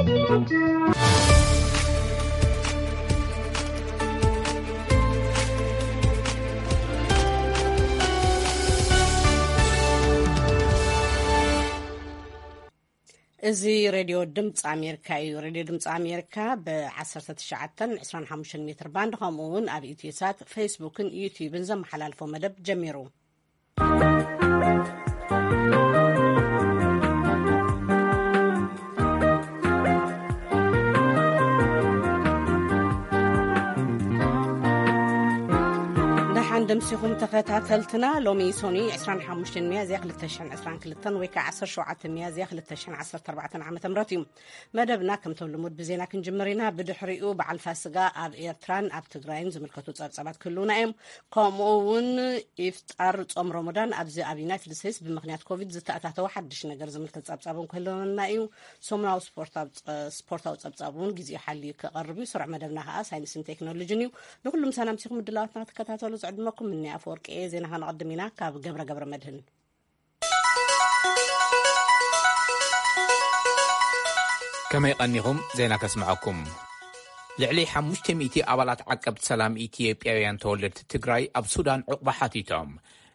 እዚ ሬድዮ ድምፂ ኣሜሪካ እዩ። ሬድዮ ድምፂ ኣሜሪካ ብ19 25 ሜትር ባንድ፣ ከምኡ እውን ኣብ ኢትዮሳት፣ ፌስቡክን ዩቲዩብን ዘመሓላልፎ መደብ ጀሚሩ። ደሓን ደምሲኹም ተኸታተልትና። ሎሚ ሶኒ 25 ሚያዝያ 2022 ወይ ከዓ 17 ሚያዝያ 2014 ዓ.ም እዩ። መደብና ከምቶም ልሙድ ብዜና ክንጅምር ኢና። ብድሕሪኡ በዓል ፋስጋ ኣብ ኤርትራን ኣብ ትግራይን ዝምልከቱ ጸብጻባት ክህልውና እዮም። ከምኡ እውን ኢፍጣር ጾም ረመዳን ኣብዚ ኣብ ዩናይትድ ስቴትስ ብምኽንያት ኮቪድ ዝተኣታተወ ሓድሽ ነገር ዝምልከት ጸብጻብ እውን ክህልወና እዩ። ሰሙናዊ ስፖርታዊ ጸ-፣ ስፖርታዊ ጸብጻብ እውን ግዜኡ ሓልዩ ክቐርብ እዩ። ስሩዕ መደብና ከኣ ሳይንስን ቴክኖሎጂን እዩ። ንኹሉም ሰላም ሲኹም ምድላዋትና ክትከታተሉ ዝዕድመኩም እኒ ኣፈወርቂ እየ። ዜና ከነቐድም ኢና ካብ ገብረ ገብረ መድህን። ከመይ ቀኒኹም? ዜና ከስምዐኩም። ልዕሊ 500 ኣባላት ዓቀብቲ ሰላም ኢትዮጵያውያን ተወለድቲ ትግራይ ኣብ ሱዳን ዕቑባ ሓቲቶም።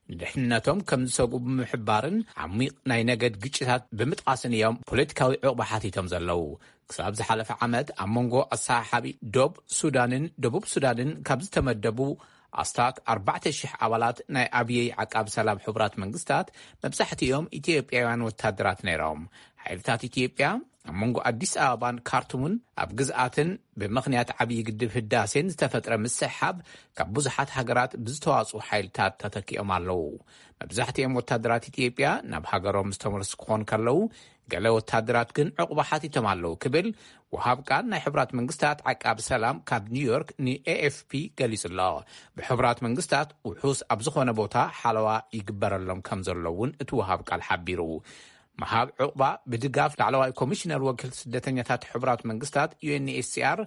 ንድሕንነቶም ከም ዝሰግኡ ብምሕባርን ዓሚቕ ናይ ነገድ ግጭታት ብምጥቓስን እዮም ፖለቲካዊ ዕቑባ ሓቲቶም ዘለዉ። ክሳብ ዝሓለፈ ዓመት ኣብ መንጎ ኣሰሓሓቢ ዶብ ሱዳንን ደቡብ ሱዳንን ካብ ዝተመደቡ ኣስታት 4,000 ኣባላት ናይ ኣብየይ ዓቃቢ ሰላም ሕቡራት መንግስታት መብዛሕትኦም ኢትዮጵያውያን ወታደራት ነይሮም። ሓይልታት ኢትዮጵያ ኣብ መንጎ ኣዲስ ኣበባን ካርቱምን ኣብ ግዝኣትን ብምኽንያት ዓብዪ ግድብ ህዳሴን ዝተፈጥረ ምስሕሓብ ካብ ብዙሓት ሃገራት ብዝተዋፅኡ ሓይልታት ተተኪኦም ኣለዉ። መብዛሕትኦም ወታደራት ኢትዮጵያ ናብ ሃገሮም ዝተመለሱ ክኾኑ ከለዉ፣ ገለ ወታደራት ግን ዕቑባ ሓቲቶም ኣለዉ ክብል ወሃብ ቃል ናይ ሕቡራት መንግስታት ዓቃቢ ሰላም ካብ ኒውዮርክ ንኤኤፍፒ ገሊጹ ኣሎ። ብሕቡራት መንግስታት ውሑስ ኣብ ዝኾነ ቦታ ሓለዋ ይግበረሎም ከም ዘሎ እውን እቲ ወሃብ ቃል ሓቢሩ። ምሃብ ዕቑባ ብድጋፍ ላዕለዋይ ኮሚሽነር ወኪል ስደተኛታት ሕቡራት መንግስታት ዩኤንኤችሲኣር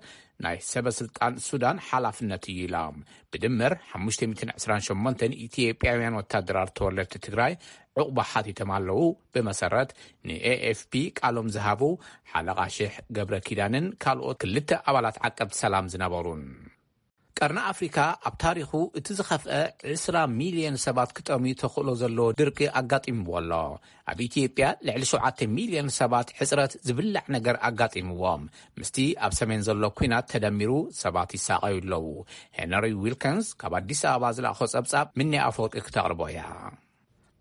ናይ ሰበ ስልጣን ሱዳን ሓላፍነት እዩ ኢሎም። ብድምር 528 ኢትዮጵያውያን ወታደራት ተወለድቲ ትግራይ ዕቑባ ሓቲቶም ኣለዉ። ብመሰረት ንኤኤፍፒ ቃሎም ዝሃቡ ሓለቓ ሽሕ ገብረ ኪዳንን ካልኦት ክልተ ኣባላት ዓቀብቲ ሰላም ዝነበሩን። ቀርኒ ኣፍሪካ ኣብ ታሪኹ እቲ ዝኸፍአ 20 ሚልዮን ሰባት ክጠምዩ ተኽእሎ ዘለዎ ድርቂ ኣጋጢምዎ ኣሎ። ኣብ ኢትዮጵያ ልዕሊ 7 ሚልዮን ሰባት ሕፅረት ዝብላዕ ነገር ኣጋጢምዎም። ምስቲ ኣብ ሰሜን ዘሎ ኲናት ተደሚሩ ሰባት ይሳቐዩ ኣለዉ። ሄነሪ ዊልከንስ ካብ ኣዲስ ኣበባ ዝለኣኾ ጸብጻብ ምኒ ኣፈወርቂ ክተቕርቦ እያ።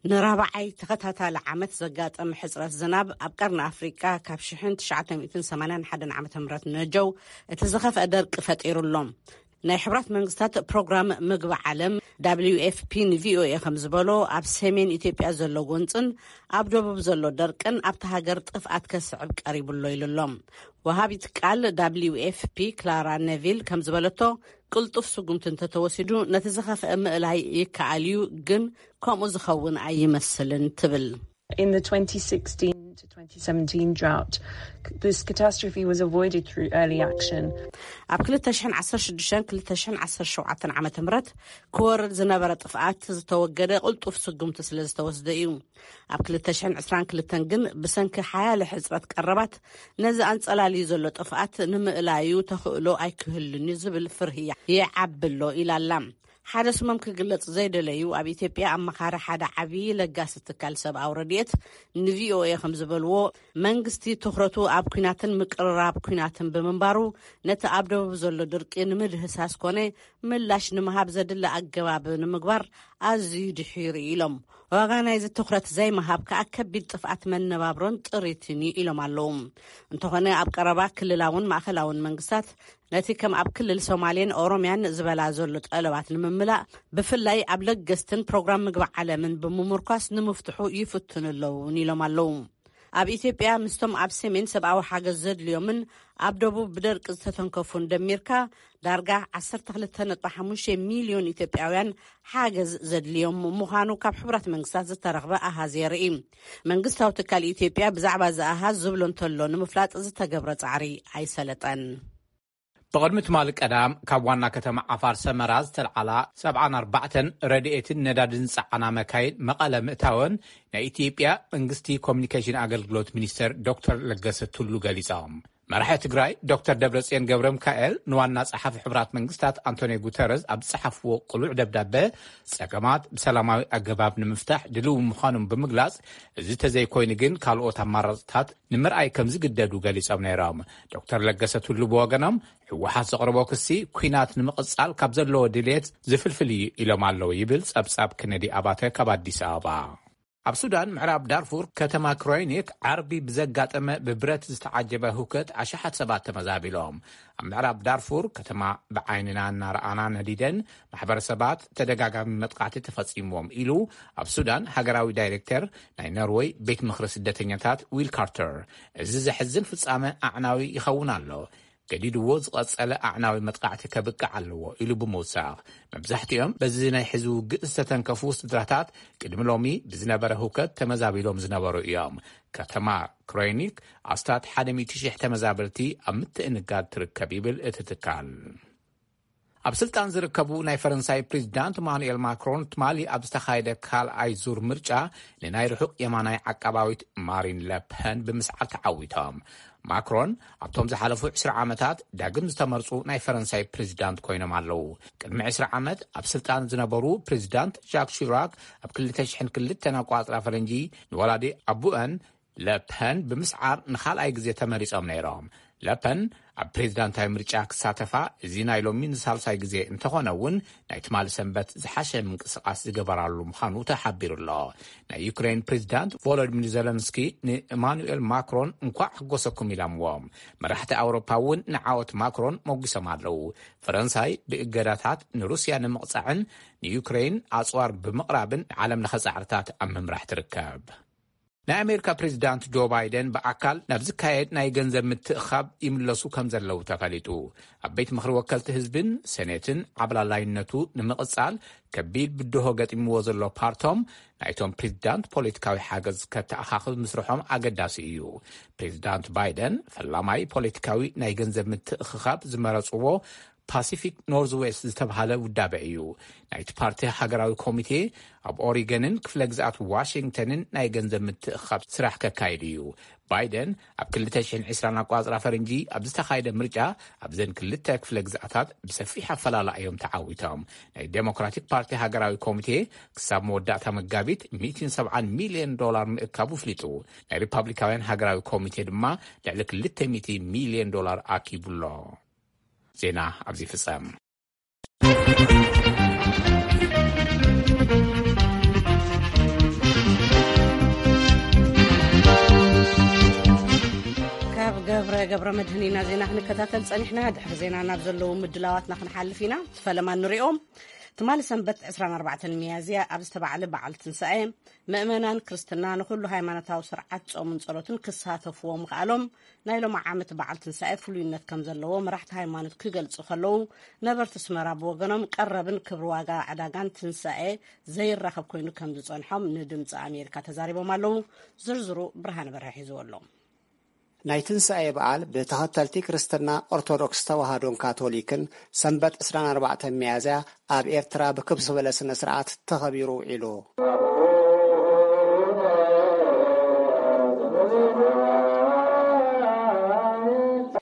ንራብዓይ ተኸታታሊ ዓመት ዘጋጠመ ሕፅረት ዝናብ ኣብ ቀርኒ ኣፍሪቃ ካብ 1981 ዓ.ም ነጀው እቲ ዝኸፍአ ደርቂ ፈጢሩ ኣሎ። ናይ ሕብራት መንግስታት ፕሮግራም ምግቢ ዓለም፣ ደብሊው ኤፍ ፒ፣ ንቪኦኤ ከም ዝበሎ፣ ኣብ ሰሜን ኢትዮጵያ ዘሎ ጎንፅን ኣብ ደቡብ ዘሎ ደርቅን ኣብታ ሃገር ጥፍኣት ከስዕብ ቀሪቡ ኣሎ ኢሉ ኣሎ። ወሃቢት ቃል ደብሊው ኤፍ ፒ ክላራ ነቪል ከም ዝበለቶ፣ ቅልጡፍ ስጉምቲ እንተተወሲዱ ነቲ ዝኸፍአ ምእላይ ይከኣል እዩ፣ ግን ከምኡ ዝኸውን ኣይመስልን ትብል። In the twenty sixteen to twenty seventeen drought, this catastrophe was avoided through early action. ኣብ 2016-2017 ዓመተ ምህረት ክወርድ ዝነበረ ጥፍኣት ዝተወገደ ቅልጡፍ ስጉምቲ ስለ ዝተወስደ እዩ። ኣብ 2022 ግን ብሰንኪ ሓያለ ሕፅረት ቀረባት ነዚ ኣንጸላልዩ ዘሎ ጥፍኣት ንምእላዩ ተኽእሎ ኣይክህሉን እዩ ዝብል ፍርህያ ይዓቢ ኣሎ ኢላ ኣላ። ሓደ ስሞም ክግለጽ ዘይደለዩ ኣብ ኢትዮጵያ ኣማኻሪ ሓደ ዓብዪ ለጋሲ ትካል ሰብኣዊ ረድኤት ንቪኦኤ ከም ዝበልዎ፣ መንግስቲ ትኹረቱ ኣብ ኲናትን ምቅርራብ ኲናትን ብምንባሩ፣ ነቲ ኣብ ደቡብ ዘሎ ድርቂ ንምድህሳስ ኮነ ምላሽ ንምሃብ ዘድሊ ኣገባብ ንምግባር ኣዝዩ ድሒሩ ኢሎም። ዋጋ ናይዚ ትኹረት ዘይምሃብ ከኣ ከቢድ ጥፍኣት መነባብሮን ጥሪትን እዩ ኢሎም ኣለዉ። እንተኾነ ኣብ ቀረባ ክልላውን ማእኸላውን መንግስታት ነቲ ከም ኣብ ክልል ሶማሌን ኦሮምያን ዝበላ ዘሎ ጠለባት ንምምላእ ብፍላይ ኣብ ለገስትን ፕሮግራም ምግቢ ዓለምን ብምምርኳስ ንምፍትሑ ይፍትኑ ኣለዉ እውን ኢሎም ኣለዉ። ኣብ ኢትዮጵያ ምስቶም ኣብ ሰሜን ሰብኣዊ ሓገዝ ዘድልዮምን ኣብ ደቡብ ብደርቂ ዝተተንከፉን ደሚርካ ዳርጋ 12.5 ሚልዮን ኢትዮጵያውያን ሓገዝ ዘድልዮም ምዃኑ ካብ ሕቡራት መንግስታት ዝተረኽበ ኣሃዝ የርኢ። መንግስታዊ ትካል ኢትዮጵያ ብዛዕባ እዚ ኣሃዝ ዝብሎ እንተሎ ንምፍላጥ ዝተገብረ ጻዕሪ ኣይሰለጠን። ብቕድሚ ትማሊ ቀዳም ካብ ዋና ከተማ ዓፋር ሰመራ ዝተልዓላ 74 ረድኤትን ነዳድን ዝጸዓና መካይን መቐለ ምእታወን ናይ ኢትዮጵያ መንግስቲ ኮሚኒኬሽን ኣገልግሎት ሚኒስተር ዶክተር ለገሰ ቱሉ ገሊጾም። መራሒ ትግራይ ዶክተር ደብረጽዮን ገብረ ሚካኤል ንዋና ጸሓፊ ሕቡራት መንግስታት ኣንቶኒዮ ጉተረዝ ኣብ ዝጸሓፍዎ ቅሉዕ ደብዳበ፣ ጸገማት ብሰላማዊ ኣገባብ ንምፍታሕ ድልው ምዃኖም ብምግላጽ፣ እዚ ተዘይኮይኑ ግን ካልኦት ኣማራጽታት ንምርኣይ ከም ዝግደዱ ገሊጾም ነይሮም። ዶክተር ለገሰ ቱሉ ብወገኖም፣ ህወሓት ዘቕረቦ ክሲ፣ ኲናት ንምቕጻል ካብ ዘለዎ ድልየት ዝፍልፍል እዩ ኢሎም ኣለዉ ይብል ጸብጻብ ክነዲ ኣባተ ካብ ኣዲስ ኣበባ። ኣብ ሱዳን ምዕራብ ዳርፉር ከተማ ክሮይኒክ ዓርቢ ብዘጋጠመ ብብረት ዝተዓጀበ ህውከት ኣሽሓት ሰባት ተመዛቢሎም። ኣብ ምዕራብ ዳርፉር ከተማ ብዓይንና እናረኣና ነዲደን ማሕበረሰባት ተደጋጋሚ መጥቃዕቲ ተፈጺምዎም ኢሉ ኣብ ሱዳን ሃገራዊ ዳይሬክተር ናይ ኖርወይ ቤት ምኽሪ ስደተኛታት ዊል ካርተር። እዚ ዘሕዝን ፍጻመ ኣዕናዊ ይኸውን ኣሎ። ገዲድዎ ዝቐጸለ ኣዕናዊ መጥቃዕቲ ከብቅዕ ኣለዎ ኢሉ ብምውሳኽ፣ መብዛሕትኦም በዚ ናይ ሕዚ ውግእ ዝተተንከፉ ስድራታት ቅድሚ ሎሚ ብዝነበረ ህውከት ተመዛቢሎም ዝነበሩ እዮም። ከተማ ክሮይኒክ ኣስታት ሓደ ሚእቲ ሺሕ ተመዛበልቲ ኣብ ምትእንጋድ ትርከብ ይብል እቲ ትካል። ኣብ ስልጣን ዝርከቡ ናይ ፈረንሳይ ፕሬዚዳንት ማኑኤል ማክሮን ትማሊ ኣብ ዝተኻየደ ካልኣይ ዙር ምርጫ ንናይ ርሑቕ የማናይ ዓቃባዊት ማሪን ለፐን ብምስዓር ተዓዊቶም። ማክሮን ኣብቶም ዝሓለፉ ዕስራ ዓመታት ዳግም ዝተመርጹ ናይ ፈረንሳይ ፕሬዚዳንት ኮይኖም ኣለዉ። ቅድሚ ዕስራ ዓመት ኣብ ስልጣን ዝነበሩ ፕሬዚዳንት ጃክ ሺራክ ኣብ ክልተ ሽሕን ክልተን ኣቋጽራ ፈረንጂ ንወላዲ ኣቡአን ለፐን ብምስዓር ንኻልኣይ ግዜ ተመሪጾም ነይሮም። ለፐን ኣብ ፕሬዚዳንታዊ ምርጫ ክሳተፋ እዚ ናይ ሎሚ ንሳልሳይ ግዜ እንተኾነ እውን፣ ናይ ትማሊ ሰንበት ዝሓሸ ምንቅስቓስ ዝገበራሉ ምዃኑ ተሓቢሩ ኣሎ። ናይ ዩክሬን ፕሬዚዳንት ቮሎዲሚር ዘለንስኪ ንኢማኑኤል ማክሮን እንኳዕ ሕጎሰኩም ኢሎምዎም። መራሕቲ ኣውሮፓ እውን ንዓወት ማክሮን ሞጒሶም ኣለዉ። ፈረንሳይ ብእገዳታት ንሩስያ ንምቕጻዕን ንዩክሬን ኣጽዋር ብምቕራብን ንዓለም ለኸ ጻዕርታት ኣብ ምምራሕ ትርከብ። ናይ ኣሜሪካ ፕሬዚዳንት ጆ ባይደን ብኣካል ናብ ዝካየድ ናይ ገንዘብ ምትእኻብ ይምለሱ ከም ዘለዉ ተፈሊጡ። ኣብ ቤት ምኽሪ ወከልቲ ህዝብን ሴኔትን ዓብላላይነቱ ንምቕጻል ከቢድ ብድሆ ገጢምዎ ዘሎ ፓርቶም፣ ናይቶም ፕሬዚዳንት ፖለቲካዊ ሓገዝ ከተኣኻኽብ ምስርሖም ኣገዳሲ እዩ። ፕሬዚዳንት ባይደን ፈላማይ ፖለቲካዊ ናይ ገንዘብ ምትእኽኻብ ዝመረጽዎ ፓሲፊክ ኖርዝዌስት ዝተባህለ ውዳበ እዩ። ናይቲ ፓርቲ ሃገራዊ ኮሚቴ ኣብ ኦሪገንን ክፍለ ግዝኣት ዋሽንግተንን ናይ ገንዘብ ምትእኽኻብ ስራሕ ከካይድ እዩ። ባይደን ኣብ ክልተ ሽሕን ዕስራን ኣቋጽራ ፈረንጂ ኣብ ዝተኻየደ ምርጫ ኣብዘን ክልተ ክፍለ ግዝኣታት ብሰፊሕ ኣፈላላ እዮም ተዓዊቶም። ናይ ዴሞክራቲክ ፓርቲ ሃገራዊ ኮሚቴ ክሳብ መወዳእታ መጋቢት ሚእትን ሰብዓን ሚልዮን ዶላር ምእካቡ ኣፍሊጡ። ናይ ሪፓብሊካውያን ሃገራዊ ኮሚቴ ድማ ልዕሊ ክልተ ሚእቲ ሚልዮን ዶላር ኣኪቡሎ። ዜና ኣብዚ ይፍጸም። ካብ ገብረ ገብረ መድህን ኢና ዜና ክንከታተል ጸኒሕና። ድሕሪ ዜና ናብ ዘለዉ ምድላዋትና ክንሓልፍ ኢና። ፈለማ ንሪኦም። ትማሊ ሰንበት ዕስራን ኣርባዕተን ሚያዝያ ኣብ ዝተባዕለ በዓል ትንሳኤ፣ ምእመናን ክርስትና ንኹሉ ሃይማኖታዊ ስርዓት ጾምን ጸሎትን ክሳተፍዎ ምኽኣሎም ናይ ሎሚ ዓመት በዓል ትንሳኤ ፍሉይነት ከም ዘለዎ መራሕቲ ሃይማኖት ክገልጹ ከለዉ፣ ነበርቲ ኣስመራ ብወገኖም ቀረብን ክብሪ ዋጋ ዕዳጋን ትንሳኤ ዘይራኸብ ኮይኑ ከም ዝጸንሖም ንድምጺ ኣሜሪካ ተዛሪቦም ኣለዉ። ዝርዝሩ ብርሃነ በርሀ ሒዝዎ ኣሎ። ናይ ትንሳኤ በዓል ብተኸተልቲ ክርስትና ኦርቶዶክስ ተዋህዶን ካቶሊክን ሰንበት ዕስራን ኣርባዕተን ሚያዝያ ኣብ ኤርትራ ብክብ ዝበለ ስነ ስርዓት ተኸቢሩ ውዒሉ።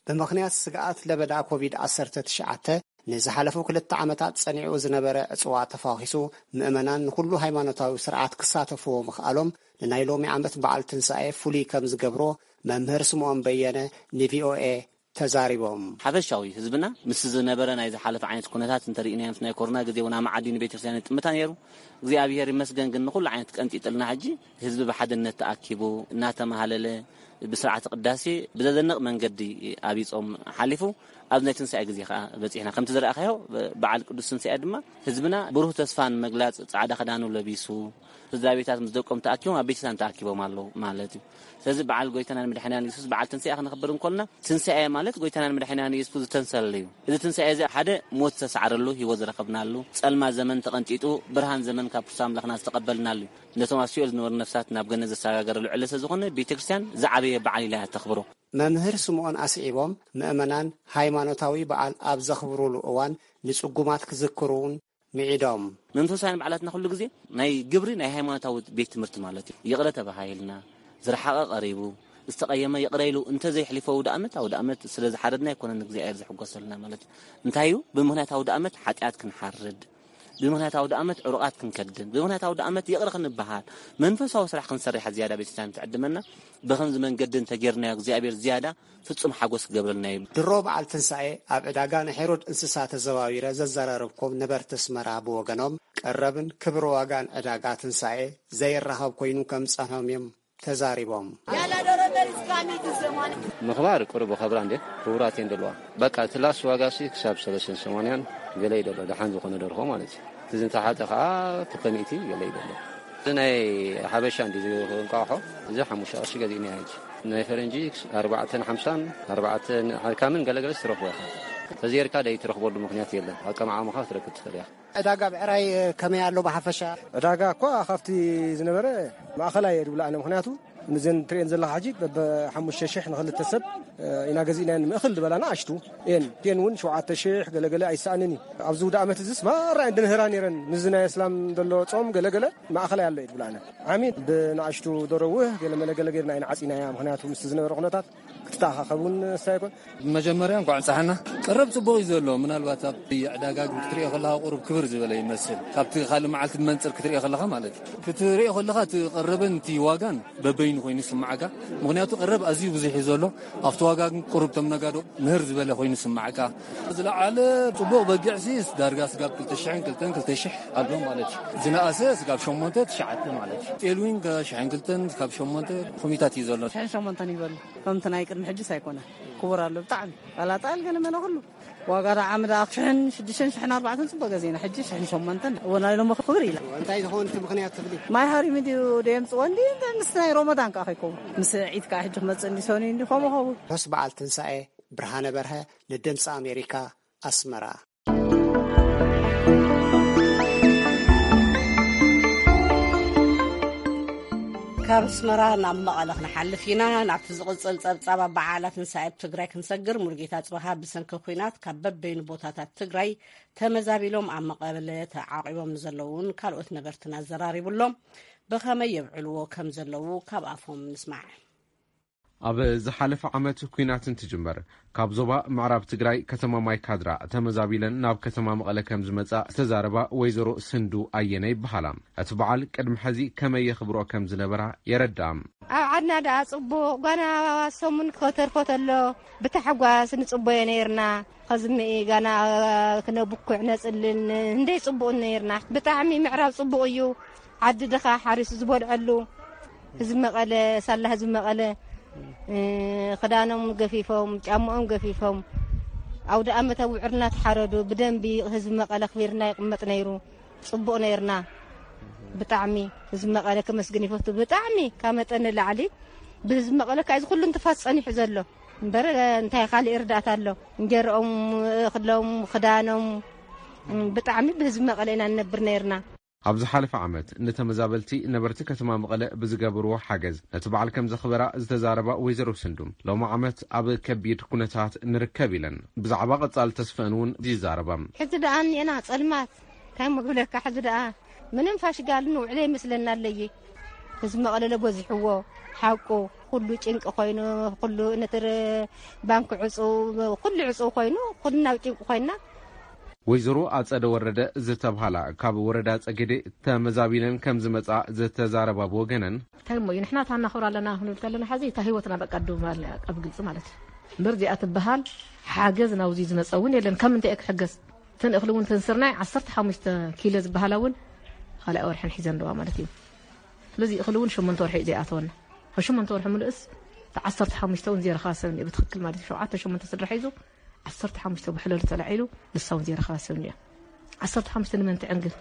ብምኽንያት ስግኣት ለበዳ ኮቪድ ዓሰርተ ትሽዓተ ንዝሓለፉ ክልተ ዓመታት ጸኒዑ ዝነበረ ዕጽዋ ተፋኺሱ፣ ምእመናን ንኹሉ ሃይማኖታዊ ስርዓት ክሳተፍዎ ምኽኣሎም ንናይ ሎሚ ዓመት በዓል ትንሳኤ ፍሉይ ከም ዝገብሮ መምህር ስምዖን በየነ ንቪኦኤ ተዛሪቦም። ሓፈሻዊ ህዝብና ምስ ዝነበረ ናይ ዝሓለፈ ዓይነት ኩነታት እንተሪእናዮ፣ ምስ ናይ ኮሮና ግዜ እውን ኣብ መዓዲ ንቤተክርስትያን ይጥምታ ነይሩ። እግዚኣብሔር ይመስገን ግን ንኹሉ ዓይነት ቀንጢጥልና፣ ሕጂ ህዝቢ ብሓድነት ተኣኪቡ እናተመሃለለ ብስርዓተ ቅዳሴ ብዘደንቕ መንገዲ ኣብይ ጾም ሓሊፉ፣ ኣብ ናይ ትንሳኤ ግዜ ከዓ በጺሕና። ከምቲ ዝረኣኻዮ፣ በዓል ቅዱስ ትንሳኤ ድማ ህዝብና ብሩህ ተስፋ ንምግላጽ ጻዕዳ ክዳኑ ለቢሱ፣ ስድራ ቤታት ምስ ደቆም ተኣኪቦም ኣብ ቤተክርስትያን ተኣኪቦም ኣለዉ ማለት እዩ። ስለዚ በዓል ጎይታናን መድሓኒያን የሱስ በዓል ትንሳኤ ክነኽብር እንኮልና፣ ትንሳኤ ማለት ጎይታናን መድሓኒያን የሱስ ዝተንሰለሉ እዩ። እዚ ትንሳኤ እዚ ሓደ ሞት ዝተሰዓረሉ፣ ህይወት ዝረኸብናሉ፣ ጸልማት ዘመን ተቐንጢጡ፣ ብርሃን ዘመን ካብ ክርስቶስ ኣምላኽና ዝተቐበልናሉ እዩ። ነቶም ኣብ ሲኦል ዝነበሩ ነፍሳት ናብ ገነት ዘሰጋገረሉ ዕለት ስለዝኾነ፣ ቤተክርስትያን ዝዓበየ በዓል ኢላ እያ ተኽብሮ። መምህር ስምዖን ኣስዒቦም፣ ምእመናን ሃይማኖታዊ በዓል ኣብ ዘኽብሩሉ እዋን ንጽጉማት ክዝክሩን ምዒዶም። መንፈሳውያን በዓላትና ኩሉ ግዜ ናይ ግብሪ ናይ ሃይማኖታዊ ቤት ትምህርቲ ማለት እዩ። ይቕረ ተባሃሂልና፣ ዝረሓቐ ቀሪቡ፣ ዝተቐየመ ይቕረ ኢሉ እንተዘይሕሊፎ ኣውደ ኣመት፣ ኣውደ ኣመት ስለ ዝሓረድና ኣይኮነን እግዚኣብሔር ዝሕጎሰልና ማለት እዩ። እንታይ እዩ? ብምኽንያት ኣውደ ኣመት ሓጢኣት ክንሓርድ፣ ብምኽንያት ኣውደ ኣመት ዕሩቓት ክንከድን፣ ብምኽንያት ኣውደ ኣመት ይቕረ ክንበሃል፣ መንፈሳዊ ስራሕ ክንሰርሕ ዝያዳ ቤተክርስትያን ትዕድመና። ብኸምዚ መንገዲ እንተጌርናዮ እግዚኣብሔር ዝያዳ ፍጹም ሓጎስ ክገብረልና እዩ። ድሮ በዓል ትንሳኤ ኣብ ዕዳጋ ንሄሮድ እንስሳ ተዘዋዊረ ዘዘራረብኩም ነበርቲ ኣስመራ ብወገኖም ቀረብን ክብሪ ዋጋን ዕዳጋ ትንሳኤ ዘይራኸብ ኮይኑ ከም ዝጸንሖም እዮም ተዛሪቦም። ምኽባር ቅሩብ ኸብራ እንዴ ክቡራት እየን ዘለዋ። በቃ እቲ ላስ ዋጋ ሲ ክሳብ ሰለስተ ሰማንያን ገለ እዩ ዘሎ፣ ደሓን ዝኾነ ደርሆ ማለት እዩ። እቲ ዝንተሓተ ኸዓ ክልተ ሚእቲ ገለ እዩ ዘሎ። እዚ ናይ ሓበሻ እንዲ እንቋቑሖ እዚ ሓሙሽተ ቅርሺ ገዚእና ሕጂ። ናይ ፈረንጂ ኣርባዕተን ሓምሳን ኣርባዕተን ሓካምን ገለገለ ትረኽቦ ኢኻ። ተዘይርካ ደይ ትረኽበሉ ምኽንያት የለን። ኣቀማዕምኻ ክትረክብ ትኽእል ኢኻ። ዕዳጋ ብዕራይ ከመይ ኣሎ ብሓፈሻ? ዕዳጋ እኳ ካብቲ ዝነበረ ማእኸላይ እየ ድብሎ ኣነ። ምኽንያቱ ንዘን ትርእየን ዘለኻ ሕጂ በብሓሙሽተ ሽሕ ንኽልተ ሰብ ኢና ገዚእናየን። ምእኽል ዝበላ ንኣሽቱ እየን። እቲአን እውን ሸውዓተ ሽሕ ገለገለ ኣይሰኣንን እዩ። ኣብዚ ውደ ዓመት እዚስ ማራ እየን ድንህራ ነይረን። ምስዚ ናይ እስላም ዘሎ ጾም ገለገለ ማእኸላይ ኣሎ እየ ድብሎ ኣነ። ዓሚ ብንኣሽቱ ደረውህ ገለመለ ገለ ጌርና ኢና ዓጺናያ። ምኽንያቱ ምስቲ ዝነበረ ኩነታት ክትተኣኻኸብ እውን ስታይ ኣይኮን። መጀመርያ እንኳዕ ንፀሓና። ቀረብ ጽቡቕ እዩ ዘሎ። ምናልባት ኣብቲ ዕዳጋ ግን ክትሪኦ ከለኻ ቁሩብ ክብር ዝበለ ይመስል። ካብቲ ካልእ መዓልቲ መንጽር ክትሪኦ ከለኻ ማለት እዩ። ክትሪኦ ከለኻ እቲ ቀረብን እቲ ዋጋን በበይኑ ኮይኑ ይስምዓካ። ምኽንያቱ ቀረብ ኣዝዩ ብዙሕ እዩ ዘሎ። ኣብቲ ዋጋ ግን ቁሩብ እቶም ነጋዶ ምህር ዝበለ ኮይኑ ይስምዓካ። ዝለዓለ ጽቡቕ በጊዕሲ ዳርጋ ስጋብ ክልተ ሽሕን ክልተን ክልተ ሽሕ ኣሎ ማለት እዩ። ዝነኣሰ ስጋብ ሸሞንተ ትሽዓተ ማለት እዩ። ጤል እውን ካብ ሽሕን ክልተን ካብ ሸሞንተ ኮሚታት እዩ ዘሎ። ሽሕን ሸሞንተን ይበሉ። ከምቲ ናይ ቅድሚ ሕጅስ ኣይኮነ። ክቡር ኣሎ ብጣዕሚ። ዋላ ጣል ገለ መለ ኩሉ። ዋጋ ደኣ ዓሚ ደኣ ሽሕን ሽዱሽተን ሽሕን ኣርባዕተን ጽቡቕ ገዜና። ሕጂ ሽሕን ሸሞንተን። እወ ናይ ሎሚ ክብር ኢላ። እንታይ ዝኸውን እቲ ምኽንያት ትብሊ? ማይ ሃሪሙ ድዩ ደየምጽዎ እንዲ ምስቲ ናይ ሮሞዳን ከኣ ከይከውን። ምስ ዒድ ከኣ ሕጂ ክመጽእ እንዲ ሰኑይ እንዲ ከምኡ ኸውን። ርሑስ በዓል ትንሳኤ። ብርሃነ በርሀ ንድምፂ ኣሜሪካ ኣስመራ። ካብ ኣስመራ ናብ መቐለ ክንሓልፍ ኢና። ናብቲ ዝቕጽል ጸብጻብ ኣበዓዕላ ትንሳኤ ኣብ ትግራይ ክንሰግር፣ ሙሉጌታ ጽባሃ ብሰንኪ ኲናት ካብ በበይኑ ቦታታት ትግራይ ተመዛቢሎም ኣብ መቐለ ተዓቒቦም ንዘለዉን ካልኦት ነበርትን ኣዘራሪቡሎም። ብኸመይ የብዕልዎ ከም ዘለዉ ካብ ኣፎም ንስማዕ። ኣብ ዝሓለፈ ዓመት ኲናት እንትጅመር ካብ ዞባ ምዕራብ ትግራይ ከተማ ማይካድራ ተመዛቢለን ናብ ከተማ መቐለ ከም ዝመጻ ዝተዛረባ ወይዘሮ ስንዱ ኣየነ ይበሃላ። እቲ በዓል ቅድሚ ሕዚ ከመይ የኽብሮ ከም ዝነበራ የረድኣ። ኣብ ዓድና ደኣ ጽቡቕ፣ ጓና ሰሙን ከተርፎ ተሎ ብታሕጓስ ንጽቦዮ ነይርና። ኸዝምኢ ጋና ክነብኩዕ ነጽልን እንደይ ጽቡቕ ነይርና። ብጣዕሚ ምዕራብ ጽቡቕ እዩ። ዓዲ ድኻ ሓሪሱ ዝበልዐሉ ህዝቢ መቐለ፣ ሳላ ህዝቢ መቐለ፣ እ፣ ክዳኖም ገፊፎም፣ ጫምኦም ገፊፎም፣ ኣውደ ኣመት ኣብ ውዕርና ተሓረዱ። ብደንቢ ህዝቢ መቐለ ክቢርና ይቕመጥ ነይሩ። ጽቡቕ ነይርና። ብጣዕሚ ህዝቢ መቐለ ከመስግን ይፈቱ። ብጣዕሚ ካብ መጠን ንላዕሊ ብህዝቢ መቐለ ከዓ እዚ ኩሉ እንትፋስ ጸኒሑ ዘሎ። እምበር እንታይ ካልእ እርዳእታ ኣሎ? እንጀርኦም፣ እኽሎም፣ ክዳኖም፣ ብጣዕሚ ብህዝቢ መቐለ ኢና ንነብር ነይርና። ኣብ ዝሓለፈ ዓመት ንተመዛበልቲ ነበርቲ ከተማ መቐለ ብዝገበርዎ ሓገዝ ነቲ በዓል ከም ዘኽበራ ዝተዛረባ ወይዘሮ ስንዱ፣ ሎሚ ዓመት ኣብ ከቢድ ኩነታት ንርከብ ኢለን ብዛዕባ ቀጻሊ ተስፈአን እውን ይዛረባ። ሕዚ ደኣ እኒኤና ጸልማት፣ እንታይ እሞ ክብለካ፣ ሕዚ ደኣ ምንም ፋሽጋል ንውዕለ ይመስለና ኣለይ። ህዝቢ መቐለለ በዚሕዎ፣ ሓቁ፣ ኩሉ ጭንቂ ኮይኑ፣ ኩሉ ነቲ ር-፣ ባንክ ዕጹው፣ ኩሉ ዕጹው ኮይኑ፣ ኩልና ኣብ ጭንቂ ኮይና። ወይዘሮ ኣጸደ ወረደ ዝተብሃላ ካብ ወረዳ ጸገዴ ተመዛቢለን ከም ዝመጻ ዝተዛረባ ብወገነን፣ እንታይ እሞ እዩ ንሕና ታናኽብር ኣለና ክንብል ከለና፣ ሕዚ እታ ህይወትና በቃ ደው ምባልና እያ፣ ኣብ ግልጺ ማለት እዩ። እምበር እዚኣ ትበሃል ሓገዝ ናብዚ ዝመጸ እውን የለን። ካብ ምንታይ እየ ክሕገዝ? እተን እኽሊ እውን፣ እተን ስርናይ ዓሰርተ ሓሙሽተ ኪሎ ዝበሃላ እውን ካልኣይ ወርሐን ሒዘን ኣለዋ ማለት እዩ። ስለዚ እኽሊ እውን ሸሞንተ ወርሒ እዩ ዘይኣተወና። ካብ ሸሞንተ ወርሒ ምልእስ፣ እቲ ዓሰርተ ሓሙሽተ እውን ዘይረኸበ ሰብ እኒኦ ብትኽክል ማለት እዩ። ሸውዓተ ሸሞንተ ስድራ ሒዙ፣ ዓሰርተ ሓሙሽተ ብሕለሉ ተላዒሉ፣ ንሳ እውን ዘይረኸበ ሰብ እኒኦ። ዓሰርተ ሓሙሽተ ንመን ትዕንግል?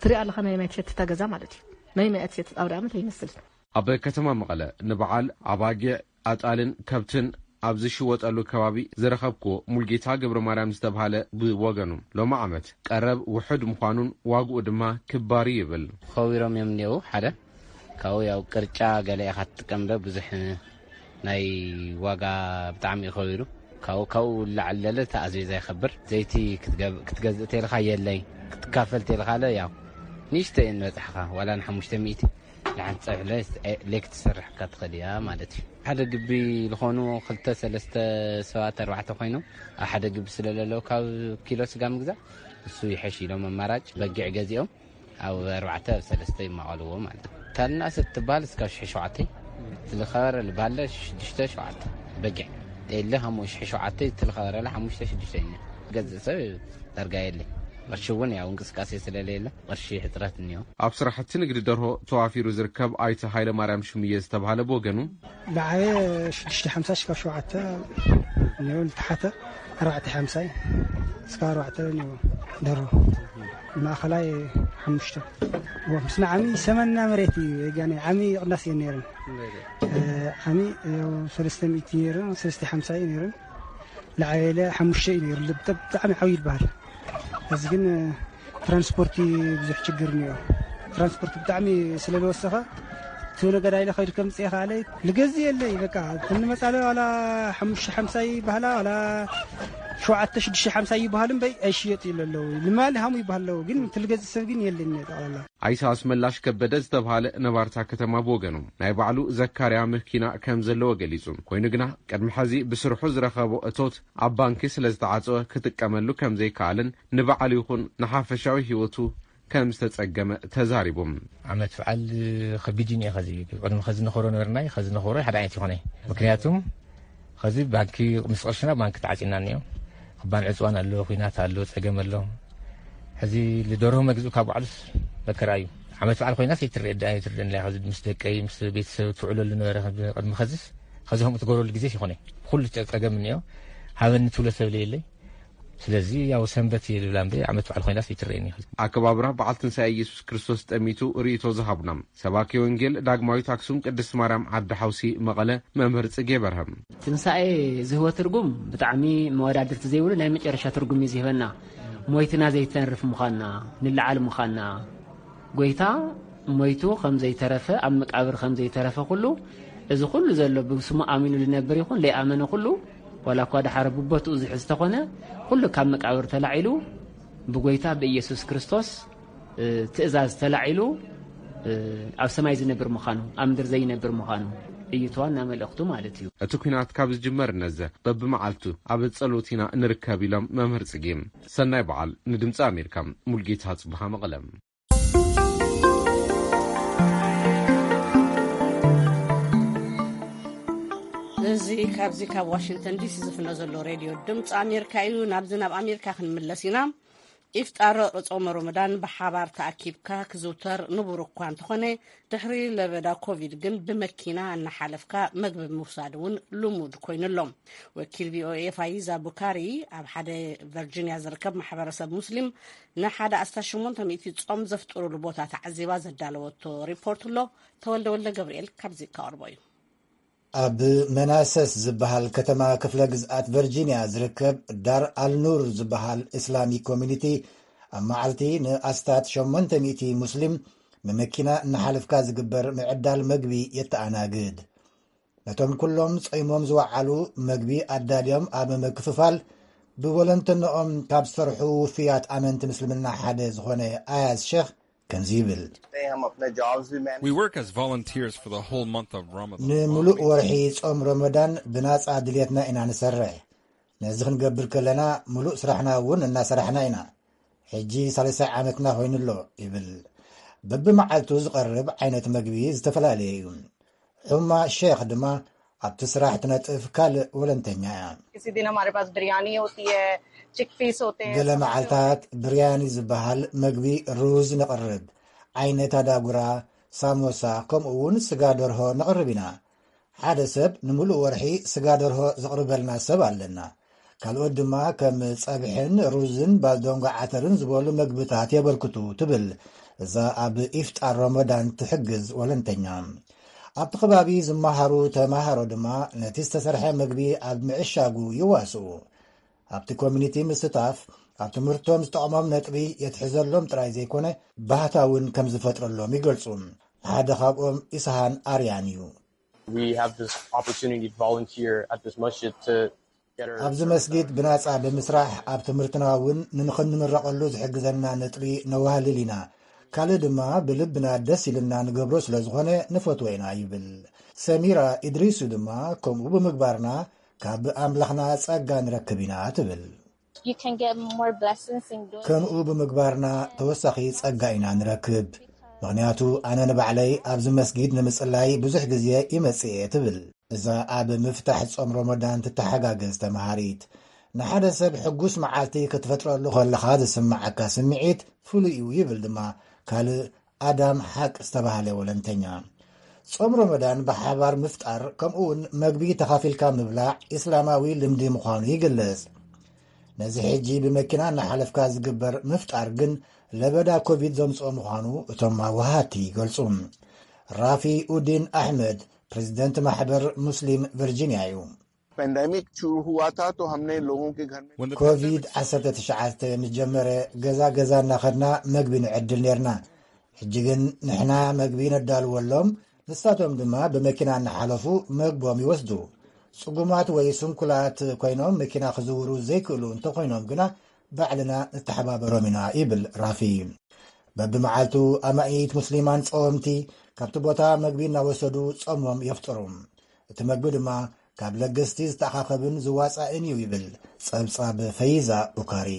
ትሪኣ ኣለኻ፣ ናይ ማይ ትሸትታ ገዛ ማለት እዩ። ናይ ማይ ትሸትት ኣውደ ኣመት ኣይመስልን። ኣብ ከተማ መቐለ ንበዓል ኣባጊዕ፣ ኣጣልን ከብትን ኣብ ዝሽወጠሉ ከባቢ ዝረኸብክዎ ሙልጌታ ገብረ ማርያም ዝተብሃለ ብወገኑ፣ ሎሚ ዓመት ቀረብ ውሑድ ምዃኑን ዋግኡ ድማ ክባር እዩ ይብል። ኸዊሮም እዮም እኒአው። ሓደ ካብኡ ያው ቅርጫ ገለ ኢኻ ትጥቀም ዶ፣ ብዙሕ ናይ ዋጋ ብጣዕሚ እዩ ኸዊሩ። ካብኡ ካብኡ ላዕሊ ለለ እቲ ኣዝቤዛ ይኸብር። ዘይቲ ክትገብ-፣ ክትገዝእ ተልኻ የለይ። ክትካፈል ተልኻለ ያው ንእሽቶ እየን በጽሕኻ፣ ዋላ ንሓሙሽተ ሚእቲ ንሓንቲ ጸብሒ ለ-፣ ሌክ ትሰርሕካ ትኽእል እያ ማለት እዩ። ሓደ ግቢ ዝኾኑ ክልተ ሰለስተ ሰባት ኣርባዕተ ኮይኖም ኣብ ሓደ ግቢ ስለለለዉ ካብ ኪሎ ስጋ ምግዛእ እሱ ይሐሽ ኢሎም ኣማራጭ በጊዕ ገዚኦም ኣብ ኣርባዕተ ኣብ ሰለስተ ይማቐልዎ ማለት እዩ። ታልና ሰብ ትበሃል እስካብ ሽሕ ሸውዓተ ትልኸበረ ልባለ ሽዱሽተ ሸውዓተ በጊዕ የለ ከምኡ ሽሕ ሸውዓተ ትልኸበረለ ሓሙሽተ ሽዱሽተ እዩ። ገዝእ ሰብ ዳርጋ የለ። ቅርሺ እውን ያው እንቅስቃሴ ስለለየለ ቅርሺ ሕፅረት እኒኦ። ኣብ ስራሕቲ ንግዲ ደርሆ ተዋፊሩ ዝርከብ ኣይተ ሃይለ ማርያም ሽምየ ዝተባሃለ ብወገኑ ለዓበየ ሽዱሽተ ሓምሳ ሽካብ ሸውዓተ እኒኦ ልተሓተ ኣርባዕተ ሓምሳይ እስካብ ኣርባዕተ እኒኦ ደርሆ ማእኸላይ ሓሙሽተ ምስ ንዓሚ ሰመና መሬት እዩ ጋኒ ዓሚ ቅናስ እየ ነይረን ዓሚ ሰለስተ ሚእቲ ነይረን ሰለስተ ሓምሳ እዩ ነይረን ለዓበየ ሓሙሽተ እዩ ነይሩ ብጣዕሚ ዓብዩ ይበሃል እዚ ግን ትራንስፖርቲ ብዙሕ ችግር እኒኦ ትራንስፖርት ብጣዕሚ ስለዝወሰኸ እቲ ነገዳ ኢለ ከይዱ ከምፅእ ይኽኣለ ልገዝ የለይ በቃ ትንመፃለ ዋላ ሓሙሽተ ሓምሳ ይበሃላ ዋላ ሸውዓተ ሽዱሽተ ሓምሳ ይበሃሉ እምበይ ኣይሽየጥ ይሉ ኣለዉ ልማሊ ሃሙ ይበሃል ኣለዉ ግን ትልገዝ ሰብ ግን የለኝ ጠቕላላ ኣይሰ ኣስመላሽ ከበደ ዝተብሃለ ነባርታ ከተማ ብወገኑ ናይ ባዕሉ ዘካርያ መኪና ከም ዘለዎ ገሊጹ ኮይኑ ግና ቅድሚ ሕዚ ብስርሑ ዝረኸቦ እቶት ኣብ ባንኪ ስለ ዝተዓጸወ ክጥቀመሉ ከም ዘይከኣልን ንባዕሉ ይኹን ንሓፈሻዊ ህይወቱ ከም ዝተጸገመ ተዛሪቡ። ዓመት በዓል ከቢድ እዩ ኸዚ ቅድሚ ኸዚ ንኸሮ ነበርናይ ኸዚ ንኸሮ ሓደ ዓይነት ይኾነ ምክንያቱም ኸዚ ባንኪ ምስ ቅርሽና ባንኪ ተዓፂና እኒኦ ክባን ዕፅዋን ኣሎ ኩናት ኣሎ ፀገም ኣሎ ሕዚ ልደርሆ መግዝኡ ካብ ባዕሉስ መከራ እዩ ዓመት በዓል ኮይናስ ኣይትረአ ኣይትረአን ኢላ ኸዚ ምስ ደቀይ ምስ ቤተሰብ ትውዕለሉ ነበረ ቅድሚ ኸዚስ ኸዚ ከምኡ ትገብረሉ ግዜስ ይኾነ ኩሉ ፀገም እኒኦ ሃበኒ ትብሎ ሰብ ለየለይ ስለዚ ያው ሰንበት እየ ዝብላ እምበይ ዓመት በዓል ኮይናስ ኣይትረአየኒ። ኣከባብራ በዓል ትንሳኤ ኢየሱስ ክርስቶስ ጠሚቱ ርእይቶ ዝሃቡና ሰባኪ ወንጌል ዳግማዊት ኣክሱም ቅድስት ማርያም ዓዲ ሓውሲ መቐለ መምህር ጽጌ በርሀ ትንሳኤ ዝህቦ ትርጉም ብጣዕሚ መወዳድርቲ ዘይብሉ ናይ መጨረሻ ትርጉም እዩ ዝህበና። ሞይትና ዘይተንርፍ ምዃንና፣ ንለዓል ምዃንና፣ ጎይታ ሞይቱ ከም ዘይተረፈ ኣብ መቃብር ከም ዘይተረፈ ኩሉ እዚ ኩሉ ዘሎ ብስሙ ኣሚኑ ዝነብር ይኹን ለይኣመነ ኩሉ ዋላ እኳ ደሓር ብቦትኡ ዝሕዝ ተኾነ ኩሉ ካብ መቃብር ተላዒሉ ብጎይታ ብኢየሱስ ክርስቶስ ትእዛዝ ተላዒሉ ኣብ ሰማይ ዝነብር ምዃኑ ኣብ ምድር ዘይነብር ምዃኑ እዩ ተዋና መልእኽቱ ማለት እዩ። እቲ ኲናት ካብ ዝጅመር ነዘ በብመዓልቱ ኣብ ጸሎት ኢና ንርከብ ኢሎም መምህር ጽጌ። ሰናይ በዓል ንድምፂ ኣሜሪካ ሙልጌታ ጽብሃ መቐለ። እዚ ካብዚ ካብ ዋሽንግተን ዲሲ ዝፍኖ ዘሎ ሬድዮ ድምፂ ኣሜሪካ እዩ። ናብዚ ናብ ኣሜሪካ ክንምለስ ኢና። ኢፍጣር ጾመ ሮመዳን ብሓባር ተኣኪብካ ክዝውተር ንቡር እኳ እንተኾነ ድሕሪ ለበዳ ኮቪድ ግን ብመኪና እናሓለፍካ መግቢ ምውሳድ እውን ልሙድ ኮይኑ ኣሎ። ወኪል ቪኦኤ ፋይዛ ቡካሪ ኣብ ሓደ ቨርጂንያ ዝርከብ ማሕበረሰብ ሙስሊም ንሓደ ኣስታት ሸሞንተ ሚእቲ ጾም ዘፍጥሩሉ ቦታ ተዓዚባ ዘዳለወቶ ሪፖርት ኣሎ። ተወልደ ወልደ ገብርኤል ካብዚ ከቕርቦ እዩ። ኣብ መናሰስ ዝበሃል ከተማ ክፍለ ግዝኣት ቨርጂንያ ዝርከብ ዳር ኣልኑር ዝበሃል እስላሚክ ኮሚኒቲ ኣብ መዓልቲ ንኣስታት ሸሞንተ ሚእቲ ሙስሊም ብመኪና እናሓለፍካ ዝግበር ምዕዳል መግቢ የተኣናግድ። ነቶም ኩሎም ጾይሞም ዝወዓሉ መግቢ ኣዳልዮም ኣብ ምክፍፋል ብወለንተነኦም ካብ ዝሰርሑ ውፍያት ኣመንቲ ምስልምና ሓደ ዝኾነ ኣያዝ ሸኽ ከምዚ ይብል። We work as volunteers for the whole month of Ramadan. ንምሉእ ወርሒ ጾም ረመዳን ብናጻ ድልየትና ኢና ንሰርሕ። ነዚ ክንገብር ከለና ምሉእ ስራሕና እውን እናሰራሕና ኢና። ሕጂ ሳልሳይ ዓመትና ኮይኑ ኣሎ ይብል። በብመዓልቱ ዝቐርብ ዓይነት መግቢ ዝተፈላለየ እዩ። ሑማ ሼኽ ድማ ኣብቲ ስራሕ ትነጥፍ ካልእ ወለንተኛ እያ። ገለ መዓልታት ብርያኒ ዝበሃል መግቢ ሩዝ ነቕርብ። ዓይነት ኣዳጉራ፣ ሳሞሳ፣ ከምኡ እውን ስጋ ደርሆ ነቕርብ ኢና። ሓደ ሰብ ንምሉእ ወርሒ ስጋ ደርሆ ዘቕርበልና ሰብ ኣለና። ካልኦት ድማ ከም ጸብሕን ሩዝን ባልዶንጎ ዓተርን ዝበሉ መግብታት የበርክቱ ትብል እዛ ኣብ ኢፍጣር ሮሞዳን ትሕግዝ ወለንተኛ። ኣብቲ ከባቢ ዝመሃሩ ተማሃሮ ድማ ነቲ ዝተሰርሐ መግቢ ኣብ ምዕሻጉ ይዋስኡ። ኣብቲ ኮሚኒቲ ምስታፍ ኣብ ትምህርቶም ዝጠቕሞም ነጥቢ የትሕዘሎም ጥራይ ዘይኮነ ባህታ እውን ከም ዝፈጥረሎም ይገልጹ። ሓደ ካብኦም ኢስሃን ኣርያን እዩ። We have this opportunity to volunteer at this masjid to get our ኣብዚ መስጊድ ብናጻ ብምስራሕ ኣብ ትምህርትና እውን ንንኽንምረቐሉ ዝሕግዘና ነጥቢ ነዋህልል ኢና። ካልእ ድማ ብልብና ደስ ኢልና ንገብሮ ስለ ዝኾነ ንፈትዎ ኢና ይብል። ሰሚራ ኢድሪሱ ድማ፣ ከምኡ ብምግባርና ካብ ኣምላኽና ጸጋ ንረክብ ኢና ትብል። You can get more blessings in doing ከምኡ ብምግባርና ተወሳኺ ጸጋ ኢና ንረክብ። ምኽንያቱ ኣነ ንባዕለይ ኣብዚ መስጊድ ንምጽላይ ብዙሕ ግዜ ይመጽእ እየ ትብል እዛ ኣብ ምፍታሕ ጾም ሮመዳን ትተሓጋገዝ ተምሃሪት። ንሓደ ሰብ ሕጉስ መዓልቲ ክትፈጥረሉ ከለኻ ዝስምዓካ ስምዒት ፍሉይ እዩ ይብል ድማ ካልእ ኣዳም ሓቅ ዝተባህለ ወለንተኛ። ጾም ሮመዳን ብሓባር ምፍጣር ከምኡውን መግቢ ተኻፊልካ ምብላዕ ኢስላማዊ ልምዲ ምዃኑ ይግለጽ። ነዚ ሕጂ ብመኪና እናሓለፍካ ዝግበር ምፍጣር ግን ለበዳ ኮቪድ ዘምጽኦ ምዃኑ እቶም ኣወሃቲ ይገልጹ። ራፊ ኡዲን ኣሕመድ ፕሬዚደንት ማሕበር ሙስሊም ቨርጂኒያ እዩ። पेंडेमिक शुरू हुआ था तो हमने लोगों के घर में ኮቪድ ዓሰርተ ትሽዓተ ምስ ጀመረ ገዛ ገዛ እናኸድና መግቢ ንዕድል ነርና። ሕጂ ግን ንሕና መግቢ ነዳልወሎም፣ ንሳቶም ድማ ብመኪና እናሓለፉ መግቦም ይወስዱ። ጽጉማት ወይ ስንኩላት ኮይኖም መኪና ክዝውሩ ዘይክእሉ እንተኾይኖም ግና ባዕልና ንተሓባበሮም ኢና ይብል ራፊ። በብመዓልቱ ኣማኢት ሙስሊማን ጸወምቲ ካብቲ ቦታ መግቢ እናወሰዱ ጾሞም የፍጥሩ። እቲ መግቢ ድማ ካብ ለገስቲ ዝተኣኻኸብን ዝዋጻእን እዩ ይብል ጸብጻብ ፈይዛ ቡካሪ።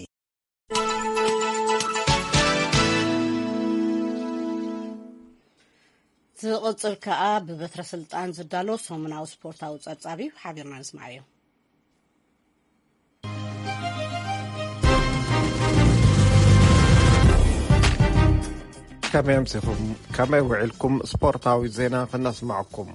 ዝቕጽል ከኣ ብበትረ ስልጣን ዝዳሎ ሰሙናዊ ስፖርታዊ ጸብጻብ እዩ። ሓቢርና ንስማዓዮ። ከመይ ኣምሲኹም? ከመይ ውዒልኩም? ስፖርታዊ ዜና ክነስማዕኩም።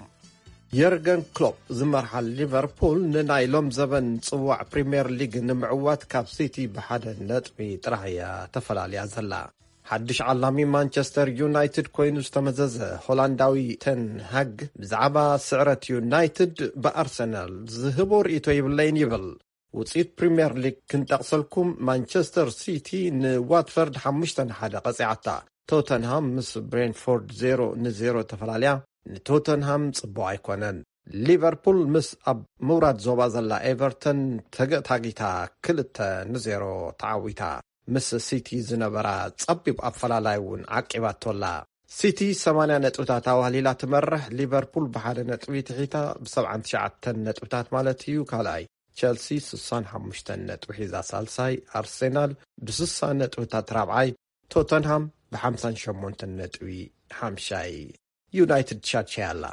የርገን ክሎፕ ዝመርሓ ሊቨርፑል ንናይ ሎም ዘበን ጽዋዕ ፕሪምየር ሊግ ንምዕዋት ካብ ሲቲ ብሓደ ነጥቢ ጥራሕ እያ ተፈላልያ ዘላ። ሓድሽ ዓላሚ ማንቸስተር ዩናይትድ ኮይኑ ዝተመዘዘ ሆላንዳዊ ተን ሃግ ብዛዕባ ስዕረት ዩናይትድ ብኣርሰናል ዝህቦ ርእይቶ ይብለይን ይብል። ውፅኢት ፕሪምየር ሊግ ክንጠቕሰልኩም፣ ማንቸስተር ሲቲ ንዋትፈርድ ሓሙሽተ ንሓደ ቀፂዓታ። ቶተንሃም ምስ ብሬንፎርድ ዜሮ ንዜሮ ተፈላለያ። ንቶተንሃም ፅቡቕ ኣይኮነን። ሊቨርፑል ምስ ኣብ ምውራድ ዞባ ዘላ ኤቨርተን ተገታጊታ ክልተ ንዜሮ ተዓዊታ። ምስ ሲቲ ዝነበራ ጸቢብ ኣፈላላይ እውን ዓቂባቶ ኣላ። ሲቲ ሰማንያ ነጥብታት ኣዋህሊላ ትመርሕ፣ ሊቨርፑል ብሓደ ነጥቢ ትሒታ ብሰብዓን ትሽዓተን ነጥብታት ማለት እዩ ካልኣይ፣ ቸልሲ ስሳን ሓሙሽተን ነጥቢ ሒዛ ሳልሳይ፣ ኣርሴናል ብስሳ ነጥብታት ራብዓይ፣ ቶተንሃም ብሓምሳን ሸሞንተን ነጥቢ ሓምሻይ፣ ዩናይትድ ሻድሻይ ኣላ።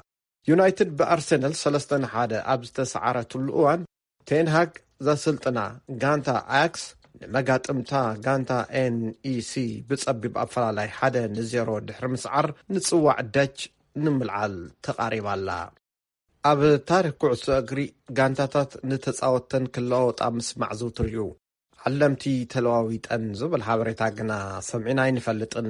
ዩናይትድ ብኣርሰናል ሰለስተ ንሓደ ኣብ ዝተሰዓረትሉ እዋን፣ ቴንሃግ ዘስልጥና ጋንታ ኣያክስ ንመጋጥምታ ጋንታ ኤንኢሲ ብጸቢብ ኣፈላላይ ሓደ ንዜሮ ድሕሪ ምስዓር፣ ንጽዋዕ ደች ንምልዓል ተቓሪባ ኣላ። ኣብ ታሪኽ ኩዕሶ እግሪ፣ ጋንታታት ንተጻወተን ክለዋወጣ ምስማዕ ዝውቱር እዩ። ዓለምቲ ተለዋዊጠን ዝብል ሓበሬታ ግና ሰሚዕና ኣይንፈልጥን።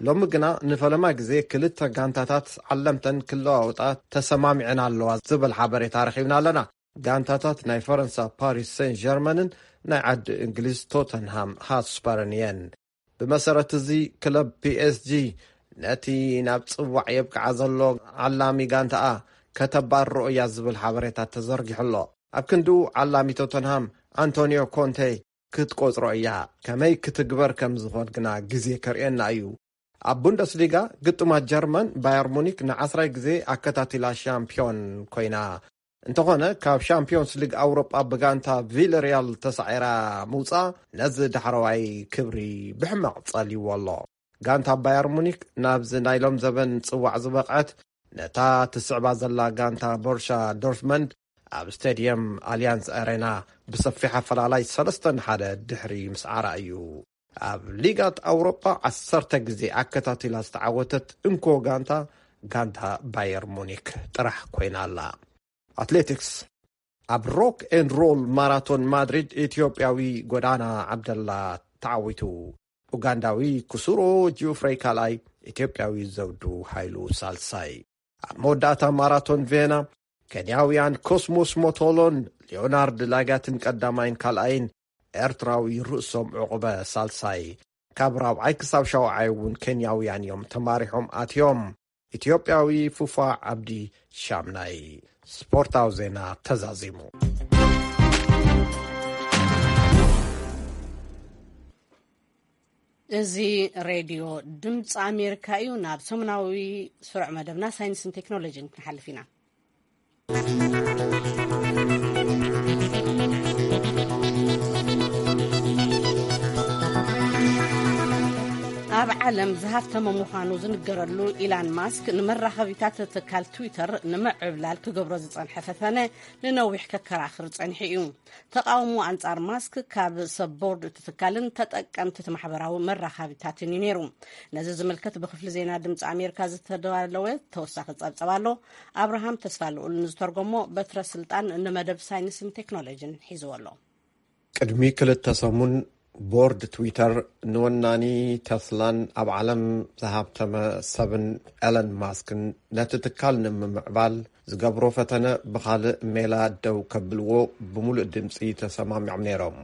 ሎሚ ግና ንፈለማ ግዜ ክልተ ጋንታታት ዓለምተን ክለዋወጣ ተሰማሚዐን ኣለዋ ዝብል ሓበሬታ ረኺብና ኣለና። ጋንታታት ናይ ፈረንሳ ፓሪስ ሴን ጀርመንን ናይ ዓዲ እንግሊዝ ቶተንሃም ሃትስፐርን እየን። ብመሰረት እዚ፣ ክለብ ፒኤስጂ ነቲ ናብ ጽዋዕ የብቅዓ ዘሎ ዓላሚ ጋንታኣ ከተባርሮ እያ ዝብል ሓበሬታ ተዘርጊሑ ኣሎ። ኣብ ክንድኡ፣ ዓላሚ ቶተንሃም ኣንቶኒዮ ኮንቴ ክትቆጽሮ እያ። ከመይ ክትግበር ከም ዝኾን ግና ግዜ ከርእየና እዩ። ኣብ ቡንደስሊጋ፣ ግጥማት ጀርመን፣ ባየር ሙኒክ ንዓስራይ ግዜ ኣከታቲላ ሻምፒዮን ኮይና። እንተኾነ፣ ካብ ሻምፒዮንስ ሊግ ኣውሮጳ ብጋንታ ቪለሪያል ተሳዒራ ምውጻኣ ነዚ ዳሕረዋይ ክብሪ ብሕማቕ ጸልይዎ ኣሎ። ጋንታ ባየር ሙኒክ ናብዚ ናይ ሎም ዘበን ጽዋዕ ዝበቕዐት፣ ነታ ትስዕባ ዘላ ጋንታ ቦርሻ ዶርትመንድ ኣብ ስቴድየም ኣሊያንዝ ኣሬና ብሰፊሕ ኣፈላላይ ሰለስተ ንሓደ ድሕሪ ምስዓራ እዩ። ኣብ ሊጋት ኣውሮጳ ዓሰርተ ግዜ ኣከታቲላ ዝተዓወተት እንኮ ጋንታ፣ ጋንታ ባየር ሙኒክ ጥራሕ ኮይና ኣላ። ኣትሌቲክስ። ኣብ ሮክ ኤንድ ሮል ማራቶን ማድሪድ፣ ኢትዮጵያዊ ጎዳና ዓብደላ ተዓዊቱ። ኡጋንዳዊ ኩሱሮ ጂኦፍረይ ካልኣይ፣ ኢትዮጵያዊ ዘውዱ ሃይሉ ሳልሳይ። ኣብ መወዳእታ ማራቶን ቬና፣ ኬንያውያን ኮስሞስ ሞቶሎን ሊዮናርድ ላጋትን ቀዳማይን ካልኣይን፣ ኤርትራዊ ርእሶም ዕቑበ ሳልሳይ፣ ካብ ራብዓይ ክሳብ ሻውዓይ እውን ኬንያውያን እዮም ተማሪሖም ኣትዮም። ኢትዮጵያዊ ፉፋ ዓብዲ ሻምናይ። ስፖርታዊ ዜና ተዛዚሙ። እዚ ሬድዮ ድምፂ ኣሜሪካ እዩ። ናብ ሰሙናዊ ስሩዕ መደብና ሳይንስን ቴክኖሎጂን ክንሓልፍ ኢና። ኣብ ዓለም ዝሃፍተመ ምዃኑ ዝንገረሉ ኢላን ማስክ፣ ንመራኸቢታት ትካል ትዊተር ንምዕብላል ክገብሮ ዝጸንሐ ፈተነ ንነዊሕ ከከራኽር ጸኒሑ እዩ። ተቓውሞ ኣንጻር ማስክ ካብ ሰብ ቦርድ እቲ ትካልን ተጠቀምቲ እቲ ማሕበራዊ መራኸቢታትን እዩ ነይሩ። ነዚ ዝምልከት ብክፍሊ ዜና ድምፂ ኣሜሪካ ዝተዳለወ ተወሳኺ ጸብጸብ ኣሎ። ኣብርሃም ተስፋልኡል ንዝተርጎሞ በትረ ስልጣን ንመደብ ሳይንስን ቴክኖሎጂን ሒዝዎ ኣሎ። ቅድሚ ክልተ ሰሙን፣ ቦርድ ትዊተር ንወናኒ ተስላን ኣብ ዓለም ዝሃብተመ ሰብን ኤለን ማስክን ነቲ ትካል ንምምዕባል ዝገብሮ ፈተነ ብኻልእ ሜላ ደው ከብልዎ ብምሉእ ድምፂ ተሰማሚዖም ነይሮም።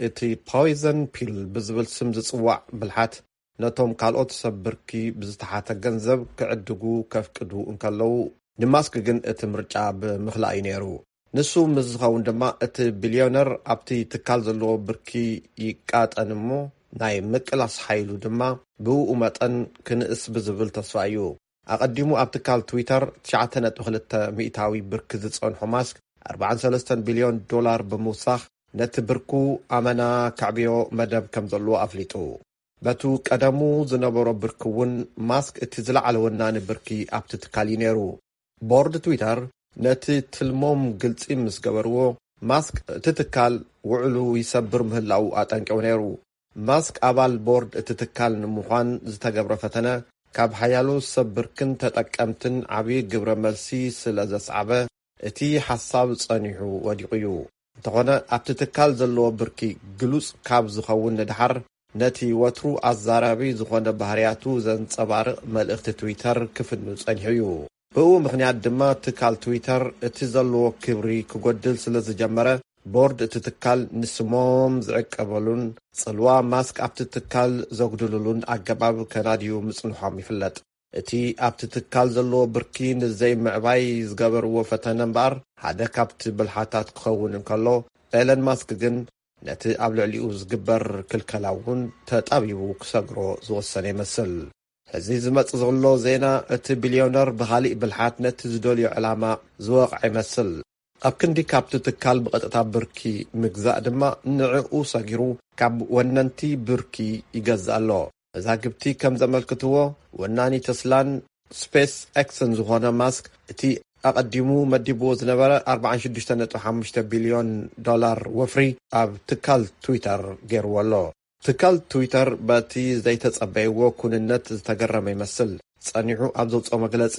እቲ ፖይዘን ፒል ብዝብል ስም ዝጽዋዕ ብልሓት፣ ነቶም ካልኦት ሰብ ብርኪ ብዝተሓተ ገንዘብ ክዕድጉ ከፍቅዱ እንከለዉ፣ ንማስክ ግን እቲ ምርጫ ብምኽላእ እዩ ነይሩ። ንሱ ምስ ዝኸውን ድማ፣ እቲ ቢልዮነር ኣብቲ ትካል ዘለዎ ብርኪ ይቃጠን እሞ፣ ናይ ምቅላስ ሓይሉ ድማ ብኡ መጠን ክንእስ ብዝብል ተስፋ እዩ። ኣቐዲሙ ኣብ ትካል ትዊተር ትሽዓተ ነጥቢ ክልተ ሚእታዊ ብርኪ ዝጸንሖ ማስክ፣ ኣርባዓን ሰለስተን ቢልዮን ዶላር ብምውሳኽ፣ ነቲ ብርኩ ኣመና ከዕብዮ መደብ ከም ዘለዎ ኣፍሊጡ። በቱ ቀደሙ ዝነበሮ ብርኪ እውን፣ ማስክ እቲ ዝለዓለ ወናኒ ብርኪ ኣብቲ ትካል እዩ ነይሩ። ቦርድ ትዊተር ነቲ ትልሞም ግልጺ ምስ ገበርዎ፣ ማስክ እቲ ትካል ውዕሉ ይሰብር ምህላዉ ኣጠንቂቑ ነይሩ። ማስክ ኣባል ቦርድ እቲ ትካል ንምዃን ዝተገብረ ፈተነ፣ ካብ ሓያሎ ሰብ ብርክን ተጠቀምትን ዓብዪ ግብረ መልሲ ስለ ዘስዓበ፣ እቲ ሓሳብ ጸኒሑ ወዲቑ እዩ። እንተኾነ፣ ኣብቲ ትካል ዘለዎ ብርኪ ግሉጽ ካብ ዝኸውን ንደሓር፣ ነቲ ወትሩ ኣዛራቢ ዝኾነ ባህርያቱ ዘንጸባርቕ መልእኽቲ ትዊተር ክፍኑ ጸኒሑ እዩ። ብኡ ምኽንያት ድማ፣ ትካል ትዊተር እቲ ዘለዎ ክብሪ ክጎድል ስለ ዝጀመረ፣ ቦርድ እቲ ትካል ንስሞም ዝዕቀበሉን ጽልዋ ማስክ ኣብቲ ትካል ዘጉድልሉን ኣገባብ ከናድዩ ምጽንሖም ይፍለጥ። እቲ ኣብቲ ትካል ዘለዎ ብርኪ ንዘይምዕባይ ዝገበርዎ ፈተነ እምበኣር፣ ሓደ ካብቲ ብልሓታት ክኸውን እንከሎ፣ ኤለን ማስክ ግን ነቲ ኣብ ልዕሊኡ ዝግበር ክልከላ እውን ተጣቢቡ ክሰግሮ ዝወሰነ ይመስል። ሕዚ ዝመጽእ ዘሎ ዜና፣ እቲ ቢልዮነር ብኻሊእ ብልሓት ነቲ ዝደልዮ ዕላማ ዝወቕዐ ይመስል። ኣብ ክንዲ ካብቲ ትካል ብቐጥታ ብርኪ ምግዛእ ድማ፣ ንዕኡ ሰጊሩ ካብ ወነንቲ ብርኪ ይገዝእ ኣሎ። መዛግብቲ ከም ዘመልክትዎ፣ ወናኒ ተስላን ስፔስ ኤክስን ዝኾነ ማስክ፣ እቲ ኣቐዲሙ መዲብዎ ዝነበረ ኣርባዓን ሽዱሽተ ነጥቢ ሓሙሽተ ቢልዮን ዶላር ወፍሪ ኣብ ትካል ትዊተር ገይርዎ ኣሎ። ትካል ትዊተር በቲ ዘይተጸበይዎ ኩንነት ዝተገረመ ይመስል። ጸኒሑ ኣብ ዘውጽኦ መግለጺ፣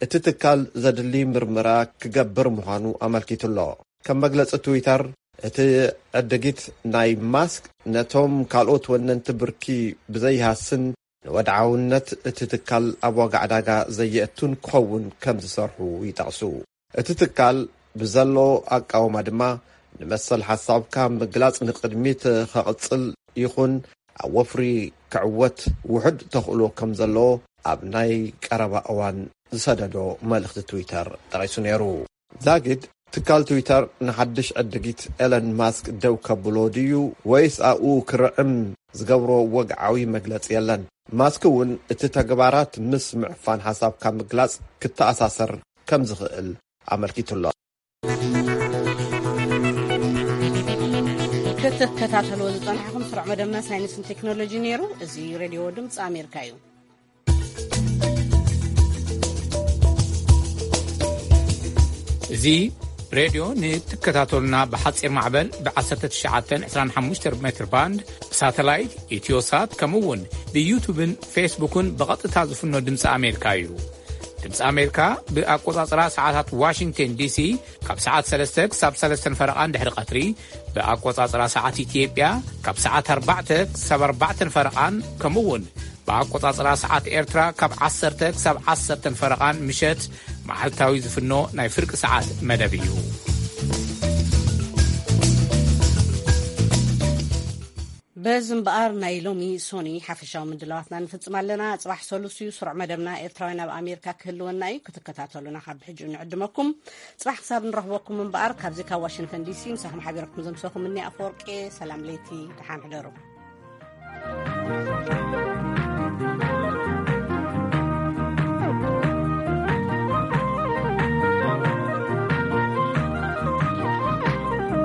እቲ ትካል ዘድሊ ምርመራ ክገብር ምዃኑ ኣመልኪቱ ኣሎ። ከም መግለጺ ትዊተር፣ እቲ ዕድጊት ናይ ማስክ ነቶም ካልኦት ወነንቲ ብርኪ ብዘይሃስን፣ ንወድዓውነት እቲ ትካል ኣብ ዋጋ ዕዳጋ ዘየእቱን ክኸውን ከም ዝሰርሑ ይጠቕሱ። እቲ ትካል ብዘሎ ኣቃውማ ድማ፣ ንመሰል ሓሳብካ ምግላጽ ንቕድሚት ከቕጽል ይኹን ኣብ ወፍሪ ክዕወት ውሑድ ተኽእሎ ከም ዘሎ ኣብ ናይ ቀረባ እዋን ዝሰደዶ መልእኽቲ ትዊተር ጠቒሱ ነይሩ። ዛጊድ፣ ትካል ትዊተር ንሓድሽ ዕድጊት ኤለን ማስክ ደው ከብሎ ድዩ ወይስ ኣብኡ ክርዕም ዝገብሮ ወግዓዊ መግለጺ የለን። ማስክ እውን እቲ ተግባራት ምስ ምዕፋን ሓሳብካ ምግላጽ ክተኣሳሰር ከም ዝኽእል ኣመልኪቱ ኣሎ። ክትከታተልዎ ዝጸናሕኩም ስሩዕ መደብና ሳይንስን ቴክኖሎጂ ነይሩ። እዚ ሬድዮ ድምፂ ኣሜሪካ እዩ። እዚ ሬድዮ ንትከታተሉና ብሓፂር ማዕበል ብ ዓሰርተ ትሽዓተ ዕስራን ሓሙሽተ ሜትር ባንድ፣ ብሳተላይት፣ ኢትዮሳት፣ ከምኡ እውን ብዩቱብን ፌስቡክን ብቐጥታ ዝፍኖ ድምፂ ኣሜሪካ እዩ። ድምፂ ኣሜሪካ ብኣቆፃፅራ ሰዓታት ዋሽንግተን ዲሲ ካብ ሰዓት ሰለስተ ክሳብ ሰለስተን ፈረቓን ድሕሪ ቀትሪ፣ ብኣቆፃፅራ ሰዓት ኢትዮጵያ ካብ ሰዓት ኣርባዕተ ክሳብ ኣርባዕተን ፈረቓን፣ ከምኡ እውን ብኣቆጻጽራ ሰዓት ኤርትራ ካብ ዓሰርተ ክሳብ ዓሰርተን ፈረቓን ምሸት መዓልታዊ ዝፍኖ ናይ ፍርቂ ሰዓት መደብ እዩ። በዚ እምበኣር ናይ ሎሚ ሶኒ ሓፈሻዊ ምድላዋትና ንፍጽም ኣለና። ጽባሕ ሰሉስ እዩ። ስሩዕ መደብና ኤርትራውያን ኣብ ኣሜሪካ ክህልወና እዩ። ክትከታተሉና ካብ ሕጂ ንዕድመኩም። ጽባሕ ክሳብ ንረኽበኩም እምበኣር፣ ካብዚ ካብ ዋሽንግተን ዲሲ ምሳኹም ሓቢረኩም ዘምሰኹም እኒ ኣፈወርቂ። ሰላም ለይቲ፣ ደሓን ሕደሩ።